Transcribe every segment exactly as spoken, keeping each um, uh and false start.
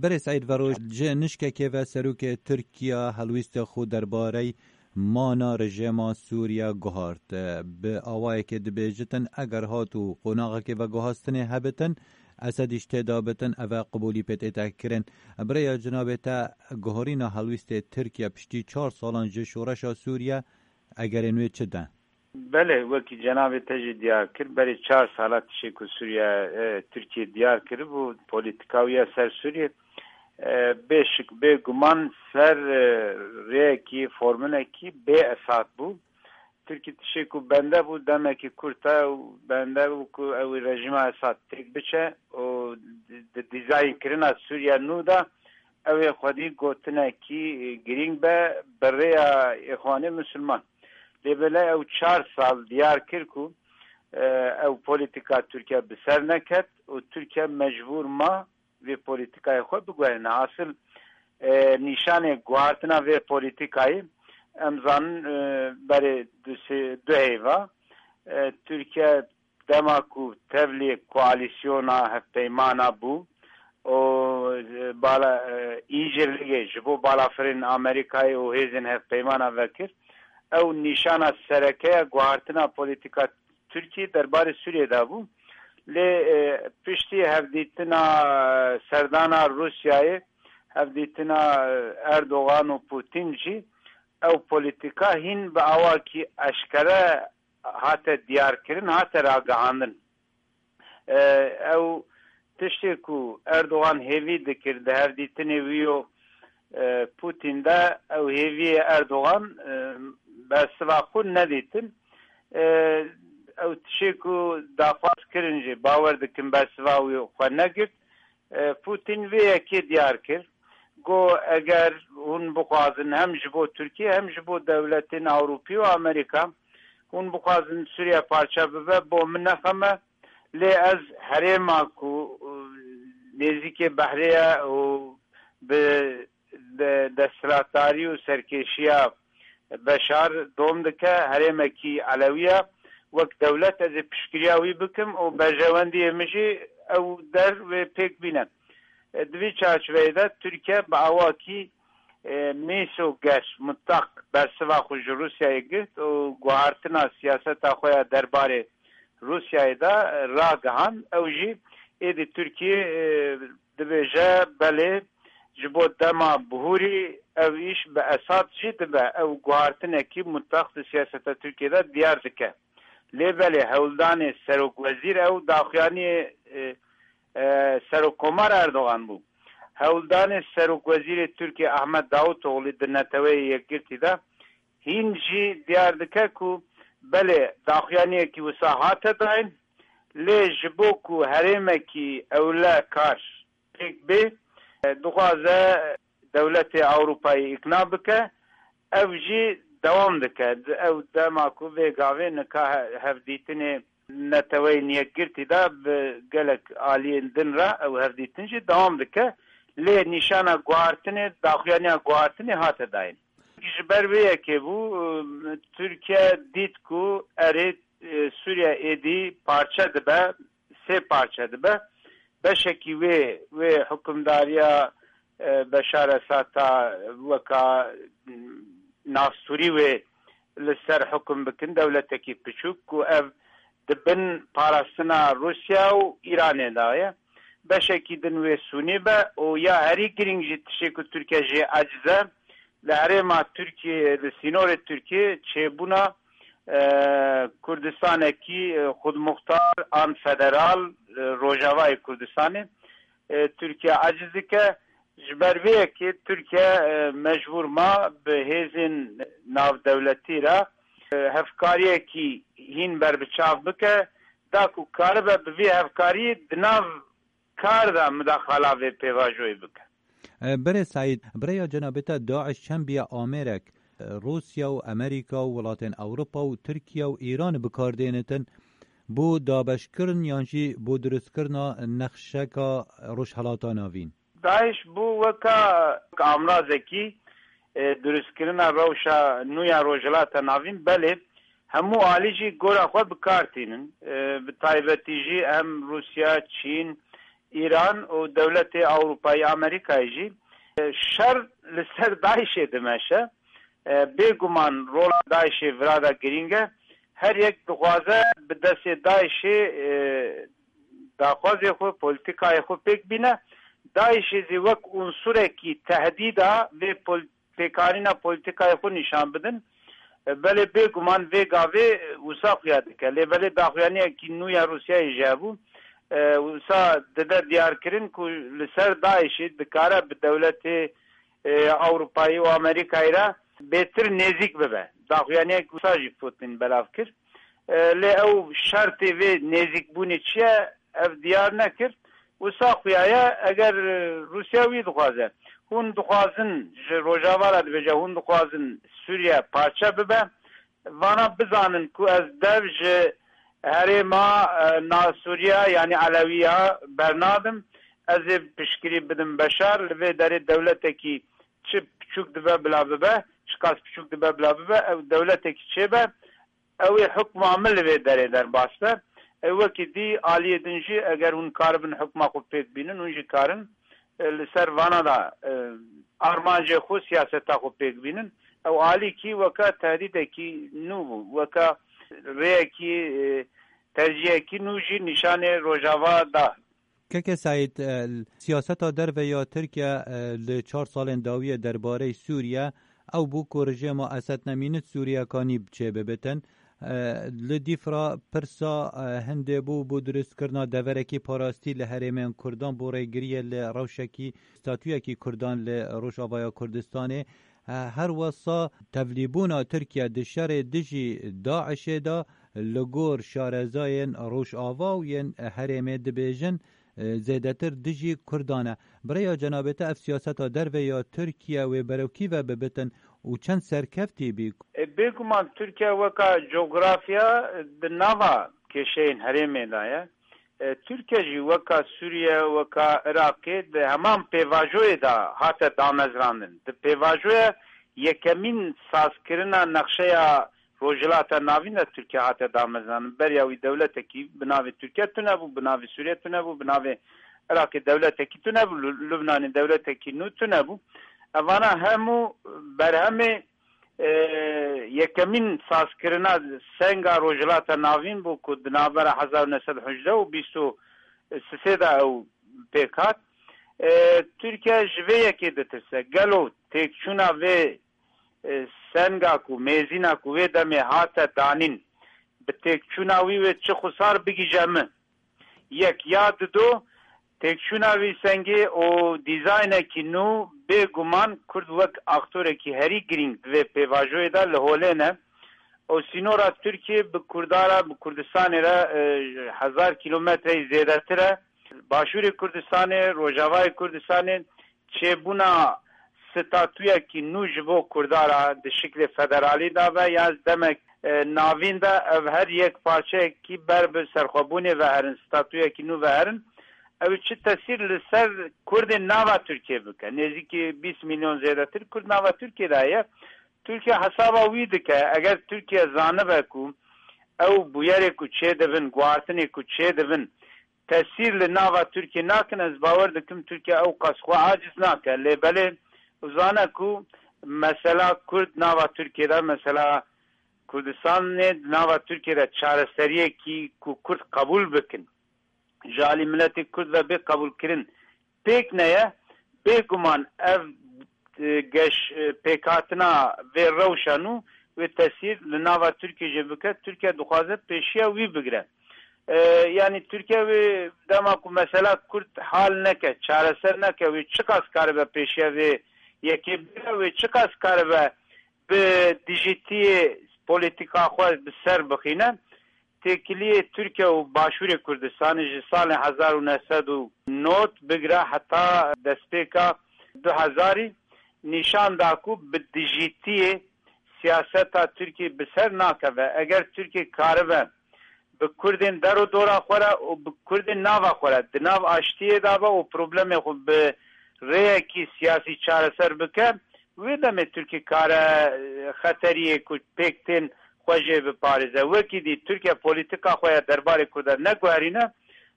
Berê Seîd Veroj, ji nişkekê ve serokê Tirkiya helwîstê xwe derbarey mana rejêma Sûriye guhart. Bi awayekê dibêjitin, eger hat û qonaxekê veguhastinê hebitin, Esedî ji tê de bitin, ev e qibûlî pê tête kirin. Bi rêya cinabê te, guherîna helwîstê Tirkiye piştî çar salan ji şoreşa Sûriye, egerên wê çi de? Belê, wekî cenabê te jî diyar kir, berê çar sala tiştê ku Sûriye, e, Tirkiye diyar kiribû, polîtika wî ya ser Sûriye, e, bê şik, bê guman ser, e, rêyekî, formulekî bê esad bû. Tirkî tiştê ku bende bû, demekî kurt e û bende bû ku ew ê rejîma Esad têk biçe û di, di dîzaynkirina Sûriye nû de ew ê xwedî gotinekî girîng be bi rêya Îxwanê Misilman. Lê belê ew çar sal diyar kir ku, e, ew polîtika Tirkiye bi ser neket û Tirkiye mecbûr ma vê polîtikayê xwe biguherîne. Asil, e, nîşanê guhartina vê polîtikayê, em zanin, e, berê du sê, du heyva, e, Tirkiye dema ku tevlî koalîsyona hevpeymana bû û, e, bala, e, încirligê ji bo balafirên Amerîkayê û hêzên hevpeymana vekir, ew nîşana sereke ya guhartina polîtika Tirkî derbarê Sûriyê de bû. Lê, e, piştî hevdîtina, e, serdana Rûsyayê, hevdîtina, e, Erdogan û Putin jî ew polîtika hîn bi awakî eşkere hate diyarkirin, hate ragihandin. E, ew tiştê ku Erdogan hêvî dikir di hevdîtinê wî û, e, Putin de, ew hêviyê Erdogan, e, bersiva xwe nedîtin. E, ew tiştê ku daxwaz kirin jî, bawer dikin bersiva wî xwe negirt. E, Putin vê yekê diyar kir. Got, eger hûn bixwazin hem ji bo Tirkiye hem ji bo dewletên Ewropî û Amerîka, hûn bixwazin Sûriye parçe bibe, bo min ne xem e. Lê ez herêma ku, e, nêzîkê behrê ye û bi de-, desthilatdarî û serkêşiya Beşar dom dike, herêmekî Elewî ye. Wek dewlet ez ê piştgiriya wî bikim û berjewendiyê min jî ew der wê pêk bîne. E, di vî çarçoveyê de Tirkiye bi awakî, e, mêsoger, mutlaq bersiva xwe ji Rûsyayê girt û guhartina siyaseta xwe ya derbarê Rûsyayê de, e, ragihand. Ew jî êdî Tirkiye, e, dibêje, belê, ji bo dema bihurî ev îş bi Esad jî dibe. Ew guhartinekî mutlaq di siyaseta Tirkiye de diyar dike. Lê belê, hewldanê serokwezîr ew daxuyaniyê, e, e, Serokkomar Erdogan bû. Hewldanê Serokwezîrê Tirkiye Ahmet Davutoğlu di Neteweyê Yekgirtî de hîn jî diyar dike ku belê daxuyaniyekî wisa hate dayîn, lê ji bo ku herêmekî ewle kar pêk bê, dixwaze dewletê Ewropayê îkna bike, ev jî dewam dike. Ew dema ku vê gavê nika he-, hevdîtinê Neteweyên Yekgirtî de bi gelek aliyên din re ew hevdîtin jî dewam dike. Lê nîşana guhartinê, daxuyaniya guhartinê hate dayîn. Ji ber vê yekê bû, Tirkiye dît ku erê, e, Sûriye êdî parçe dibe, sê parçe dibe. Beşekî wê, wê hukimdariya, e, Beşar Esad ta weka, m, navstûrî wê li ser hukum bikin, dewletekî piçûk ku ev di bin parastina Rûsya û Îranê de ye. Beşekî din wê sûnî be û ya herî girîng jî tiştê ku Tirkiye jê eciz e, li herêma Tirkiye, li sînorê Tirkiye çêbûna, e, Kurdistanekî, e, xudmuxtar an federal, e, Rojavayê Kurdistanê, e, Tirkiye eciz dike. Ji ber vê yekê Tirkiye, e, mecbûr ma bi hêzên navdewletî re, e, hevkariyekî hîn berbiçav bike, da ku karibe bi vî hevkariyê di nav kar de midaxala vê pêvajoyê bike. E, Berê Seîd, bi rêya cenabê te DAIŞ çend biya amêrek, e, Rûsya û Amerîka û welatên Ewropa û Tirkiye û Îran bi kar dênitin bo dabeşkirin yan jî bo dirustkirina nexşeka Rojhelata Navîn? DAIŞ bû weka amrazekî, e, dirustkirina rewşa nû ya Rojhilata Navîn, belê hemû alî jî gora xwe bi kar tînin. E, bi taybetî jî hem Rûsya, Çîn, Îran û dewletê Ewropayî, Amerîkayê jî, e, şer li ser DAIŞê dimeşe. E, bêguman rola DAIŞê vira de girîng e. Her yek dixwaze bi destê DAIŞê, e, daxwazê xwe, polîtîkayê xwe pêk bîne. DAIŞê zî wek unsurekî tehdîda vê pol-, pêkanîna polîtîkayê xwe nîşan bidin. E, belê bêguman vê gavê, e, wisa xuya dike. Lê belê daxuyaniyekî nû ya Rûsyayê jî hebû. E, wisa dide diyarkirin ku li ser DAIŞê dikare bi dewletê, e, Ewropayî û Amerîkayê re bêtir nêzîk bibe. Daxuyaniyek wisa jî Putin belav kir. E, lê ew şertê vê nêzîkbûnê çi ye, ev diyar nekir. Wisa xuya ye, eger, e, Rûsya wî dixwaze, hûn dixwazin ji Rojava re dibêje, hûn dixwazin Sûriye parçe bibe, vana bizanin ku ez dev ji herêma, e, Nasûriya, yanî Elewiya bernadim, ez ê piştgirî bidim Beşar, li vê derê dewletekî çi piçûk dibe bila bibe, çiqas piçûk dibe bila bibe, ew dewletekî çêbe, ew ê hukma min li vê derê derbas be. Ew wekî dî aliyê din jî eger hûn karibin hukma xwe pêk bînin, hûn jî karin, e, li ser vana da, e, armancê xwe, siyaseta xwe pêk bînin. Ew alîkî weka tehdîdekî nû bû, weka rêyekî, e, tercihekî nû jî nîşanê Rojava da. Keke Seîd, e, siyaseta derve ya Tirkiye, e, li çar salên dawiyê derbarê Sûriye ew bû ku rejêma Esed Nemînit Sûriyekanî çêbibitin. E, li dîf re pirsa, e, hindê bû, bû dirustkirina deverekî parastî li herêmên Kurdan, bû rêgiriyê li rewşekî, statuyekî Kurdan li Rojavaya Kurdistanê. E, her wesa tevlîbûna Tirkiye di şerê dijî DAIŞê de li gor şarezayên Rojava û yên herêmê dibêjin, e, zêdetir dijî Kurdan e. Bi rêya cenabê te ev siyaseta derve ya Tirkiye wê berew kî ve bibitin û çend serkeftî bî? E, bêguman Tirkiye weka cografya di nava kêşeyên herêmê de ye. E, Tirkiye jî weka Sûriye, weka Iraqê di heman pêvajoyê de hate damezrandin. Di pêvajoya yekemîn sazkirina nexşeya Rojhilata Navîn de Tirkiye hate damezrandin. Beriya wî dewletekî bi navê Tirkiye tune bû, bi navê Sûriye tune bû, bi navê Iraqê dewletekî tune bû, Lu-, Lubnanê dewletekî nû tune bû. Evana hemû berhemê, e, yekemîn sazkirina senga Rojhilata Navîn bû ku di navbera hezar û neh sed û hejdeh û bîst û sisê de ew pêk hat. E, Tirkiye ji vê yekê ditirse. Gelo têkçûna vê, e, senga ku, mêzîna ku wê demê hate danîn, bi têkçûna wî wê çi xusar bigihîje min? Yek ya dido, têkçûna vî sengê û dîzaynekî nû bêguman Kurd wek aktorekî herî girîng di vê pêvajoyê de li holê ne. Û sînora Tirkiyê bi Kurda re, bi Kurdistanê re, e, hezar kîlometreyî zêdetir e. Başûrê Kurdistanê, Rojavayê Kurdistanê çêbûna statuyekî nû ji bo Kurda re di şiklê federalî de be ya demek, e, navîn de ev her yek parçeyekî ber bi serxwebûnê ve herin, statuyekî nû ve herin. Ew çi tesîr li ser Kurdên nava Tirkiye bike? Nêzîkî bîst milyon zêdetir Kurd nava Tirkiye de heye. Tirkiye hesaba wî dike, eger Tirkiye zanibe ku ew bûyerê ku çêdibin, guhartinê ku çêdibin, tesîr li nava Tirkiye nakin, ez bawer dikim Tirkiye ew qas xwe aciz nake. Lê belê zane ku mesela Kurd nava Tirkiye de, mesela Kurdistanê di nava Tirkiye de çareseriyekî ku Kurd qebûl bikin, ji alî miletê Kurd ve bê qebûlkirin pêk neye, bêguman ev, e, geş, e, pêkhatina vê rewşa nû wê tesîr li nava Tirkiye jî bike. Tirkiye dixwaze pêşiya wî bigire. E, yanî Tirkiye wê dema ku mesela Kurd hal neke, çareser neke, wê çiqas karibe pêşiya vê yekê bigire, wê çiqas karibe bi dijîtiyê polîtîka xwe bi ser bixîne. Têkiliyê Tirkiye û Başûrê Kurdistanê ji salên hezar û neh sed û nod bigire heta destpêka du hezarî nîşan da ku bi dijîtiyê siyaseta Tirkiye bi ser nakeve. Eger Tirkiye karibe bi Kurdên der û dora xwe re û bi Kurdên nava xwe re di nav aştiyê de be û problemê xwe bi rêyekî siyasî çareser bike, wê demê Tirkiye kare, e, xeteriyê ku pêk tên xwe jê biparêze. Wekî dî Tirkiye polîtîka xwe ya derbarê Kurdan neguherîne,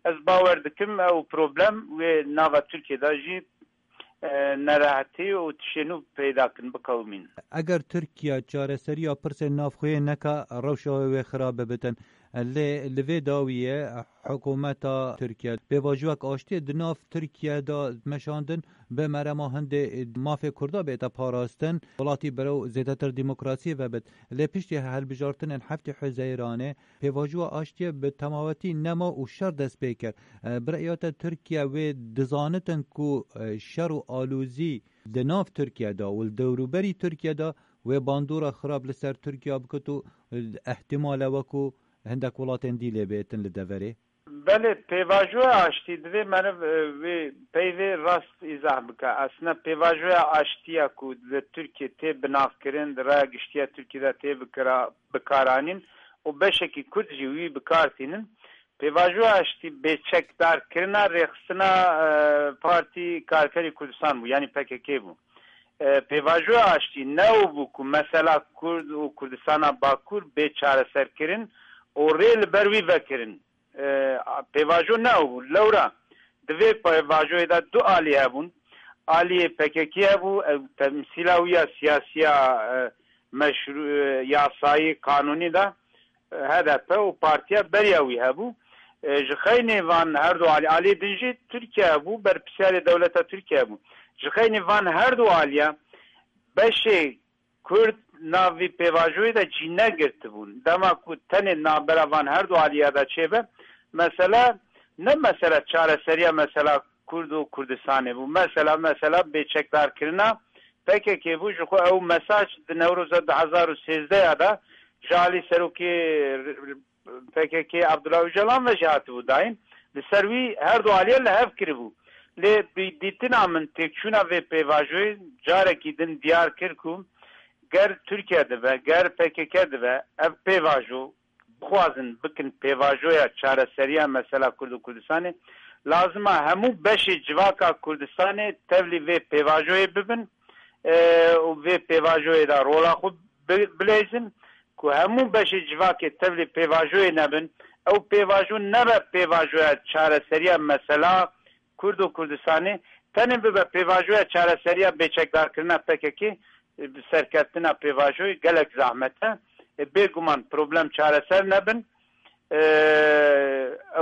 Ez bawer dikim ew problem wê nava Tirkiyê de jî e, nerehetî û tiştê nû peyda kin, biqewimîn. Eger Tirkiye çareseriya pirsên navxweyê neke, rewşa wê wê xirab bibitin. Lê li vê dawiyê hikûmeta Tirkiye pêvajoyek aştiyê di nav Tirkiye de meşandin, bi merema hindê mafê Kurda bête parastin, welatî berew zêdetir demokrasiyê vebit. Lê piştî hilbijartinên heftê Huzeyranê, pêvajoya aştiyê bi temawetî nema û şer dest pê kir. E, bi rêya te Tirkiye wê dizanitin ku, e, şer û alozî di nav Tirkiye de û li dewrûberî Tirkiye de wê bandora xirab li ser Tirkiye bikit û, e, ihtimale wekû hindek welatên dî lê bêtin li deverê? Belê, pêvajoya aştî divê meriv, e, wê peyvê rast îzah bike. Aslında pêvajoya aştiya ku li Tirkiye tê binavkirin, di raya giştiya Tirkiye de tê bikira-, bikaranîn û beşekî Kurd jî wî bi kar tînin. Pêvajoya aştî bêçekdarkirina rêxistina, e, Partî Karkerê Kurdistan bû, yanî P K K bû. E, pêvajoya aştî ne ew bû ku mesela Kurd û Kurdistana Bakur bê çareserkirin û rê li ber wî vekirin. E, pêvajo ne ew bû. Lewra di vê pêvajoyê de du alî hebûn. Aliyê P K K hebû, ew temsîla wî ya siyasî ya, e, meşrû-, e, yasayî, kanûnî de, e, H D P û partiya beriya wî hebû. E, ji xeynê van her du alî, aliyê din jî Tirkiye hebû, berpirsiyarê dewleta Tirkiye hebû. Ji xeynê van her du aliya beşê Kurd nav vî pêvajoyê de cî negirtibûn. Dema ku tenê navbera van her du aliya de çêbe, mesela ne mesela çareseriya mesela Kurd û Kurdistanê bû. Mesela, mesela bêçekdarkirina P K K bû. Ji xwe ew mesaj di Newroza du hezar û sêzdeh ya de ji alî serokê P K K Abdullah Ocalan ve jî hatibû dayîn. Li ser wî her du aliye li hev kiribû. Lê bi dîtina min têkçûna vê pêvajoyê carekî din diyar kir ku ger Tirkiye dibe, ger P K K dibe, ev pêvajo bixwazin bikin pêvajoya çareseriya mesela Kurd û Kurdistanê, lazima hemû beşê civaka Kurdistanê tevlî vê pêvajoyê bibin, e, û vê pêvajoyê de rola xwe bi-, bileyzin ku hemû beşê civakê tevlî pêvajoyê nebin. Ew pêvajo nebe pêvajoya çareseriya mesela Kurd û Kurdistanê, tenê bibe pêvajoya çareseriya bêçekdarkirina P K K, e, bi serkeftina pêvajoyê gelek zahmet e. E, bêguman problem çareser nebin. E,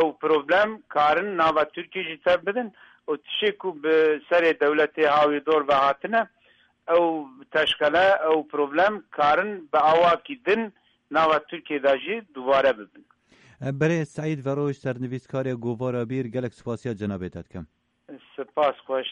ew problem karin nava Tirkiyê jî tev bidin û tiştê ku bi serê dewletê hawî dor ve hatine, ew teşkele, ew problem karin bi awakî din nava Tirkiyê de jî dubare bibin. Berê Seîd Veroj, sernivîskarê Govara Bîr, gelek spasiya cenabê te dikim. Spas xweş,